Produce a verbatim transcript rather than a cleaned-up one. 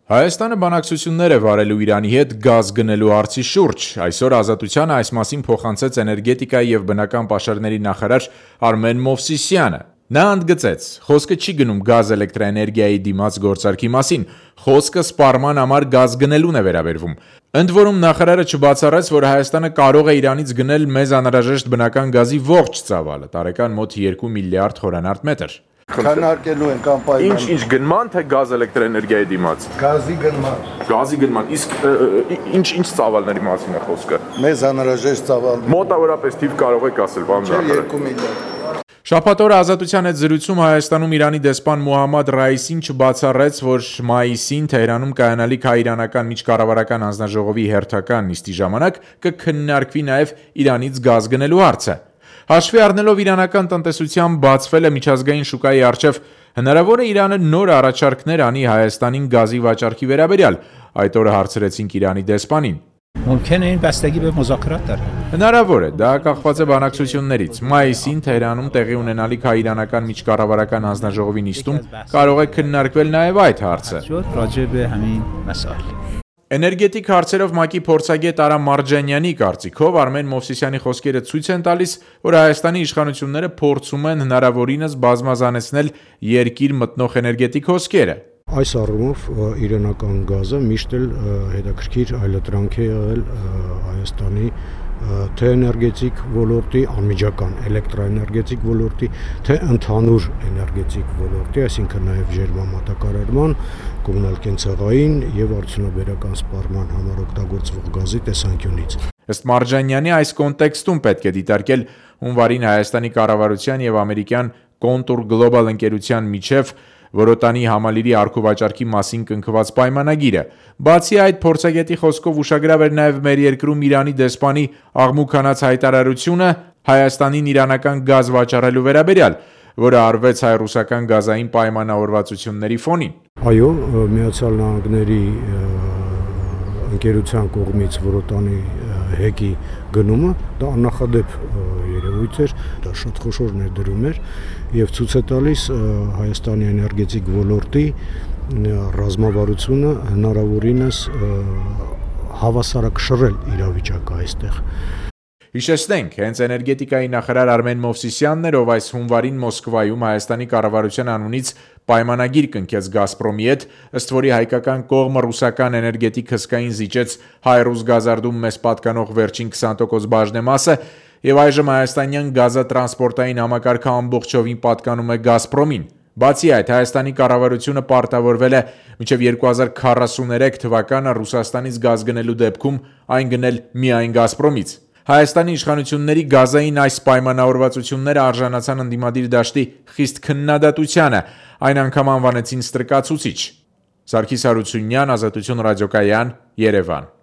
Հայաստանը բանակցություններ է վարելու Իրանի հետ գազ գնելու հարցի շուրջ։ Այսօր Ազատությանը այս մասին փոխանցեց էներգետիկայի եւ բնական պաշարների նախարար Արմեն Մովսիսյանը։ Նա ընդգծեց. խոսքը չի գնում գազ էլեկտրաէներգիայի դիմաց գործարքի մասին, խոսքը սպառման համար գազ գնելուն է վերաբերվում։ Ընդ որում նախարարը չբացառեց, որ Հայաստանը կարող է Իրանից գնել մեզ անհրաժեշտ բնական գազի ողջ ծավալը, տարեկան մոտ երկու միլիարդ խորանարդ մետր։ Քննարկելու են կամպանիան։ Ինչ ինչ գնման թե գազ էլեկտրաէներգիայի դիմաց։ Գազի գնման։ Գազի գնման։ Իսկ ինչ ինչ ծավալների մասին է խոսքը։ Մեզ անհրաժեշտ ծավալ։ Մոտավորապես թիվ կարող եք ասել, բան դա։ երկու միլիարդ։ Շաբաթ օրը Ազատության հետ զրույցում Հայաստանում Իրանի դեսպան Մոհամմադ Ռայիսին չբացառեց, որ մայիսին Թեհրանում կայանալիք հայ-իրանական միջկառավարական հանձնաժողովի հերթական նիստի ժամանակ կքննարկվի նաև Իրանից գազ գնելու հարցը։ Հաշվի առնելով իրանական տնտեսության բացվելը միջազգային շուկայի առջև, հնարավոր է Իրանը նոր առաջարկներ անի Հայաստանին գազի վաճառքի վերաբերյալ, այդ օրը հարցրեցինք Իրանի դեսպանին։ Հնարավոր է, դա կախված է բանակցություններից։ Մայիսին Թեհրանում տեղի ունենալիք հայ-իրանական միջկառավարական հանձնաժողովի նիստում կարող է քննարկվել նաև այդ հարցը։ Էներգետիկ հարցերով ՄԱԿ-ի փորձագետ Արա Մարջանյանի կարծիքով Արմեն Մովսիսյանի խոսքերը ցույց են տալիս, որ Հայաստանի իշխանությունները փորձում են հնարավորինս բազմազանեցնել երկիր մտնող էներգետիկ հոսքերը։ Այս առումով իրանական գազը միշտ էլ հետաքրքիր այլատրանք է եղել Հայաստանի թե էներգետիկ ոլորտի, անմիջական էլեկտրաէներգետիկ ոլորտի, թե ընդհանուր էներգետիկ ոլորտի, այսինքն նաև ջերմամատակարարման, կոմունալ կենցաղային եւ արդյունաբերական սպառման համար օգտագործվող գազի տեսանկյունից։ Ըստ Մարջանյանի այս կոնտեքստում պետք է դիտարկել հունվարին Հայաստանի կառավարության եւ ամերիկյան Contour Global ընկերության միջև Որոտանի համալիրի առքուվաճառքի մասին կնքված պայմանագիրը։ Բացի այդ, փորձագետի խոսքով ուշագրավ էր նաև մեր երկրում Իրանի դեսպանի աղմուկանաց հայտարարությունը Հայաստանին իրանական գազ վաճառելու վերաբերյալ, որը արվեց հայ-ռուսական գազային պայմանավորվածությունների ֆոնին։ Այո, Միացյալ Նահանգների ընկերության կողմից Որոտանի հեկի գնումը դա աննախադեպ երևույթ էր, դա շատ խոշոր ներդրում էր եւ ցույց է տալիս Հայաստանի էներգետիկ ոլորտի ռազմավարությունը հնարավորինս հավասարակշռել իրավիճակը այստեղ։ Հիշեցնենք, հենց էներգետիկայի նախարար Արմեն Մովսիսյանն էր, ով այս հունվարին Մոսկվայում Հայաստանի կառավարության անունից պայմանագիր կնքեց Գազպրոմի հետ, ըստ որի հայկական կողմը ռուսական էներգետիկ հսկային զիջեց հայ-ռուս գազարդում մեզ պատկանող վերջին քսան տոկոս բաժնեմասը, եւ այժմ հայաստանյան գազատրանսպորտային համակարգը ամբողջովին պատկանում է Գազպրոմին։ Բացի այդ, Հայաստանի կառավարությունը պարտավորվել է մինչև երկու հազար քառասուներեք թվականը Ռուսաստանից գազ գնելու դեպքում այն գնել միայն Գազպրոմից։ Հայաստանի իշխանությունների գազային այս պայմանավորվածությունները արժանացան ընդդիմադիր դաշտի խիստ քննադատությանը, այն անգամ անվանեցին ստրկացուցիչ։ Սարգիս Հարությունյան, Ազատություն ռադիոկայան, Երևան։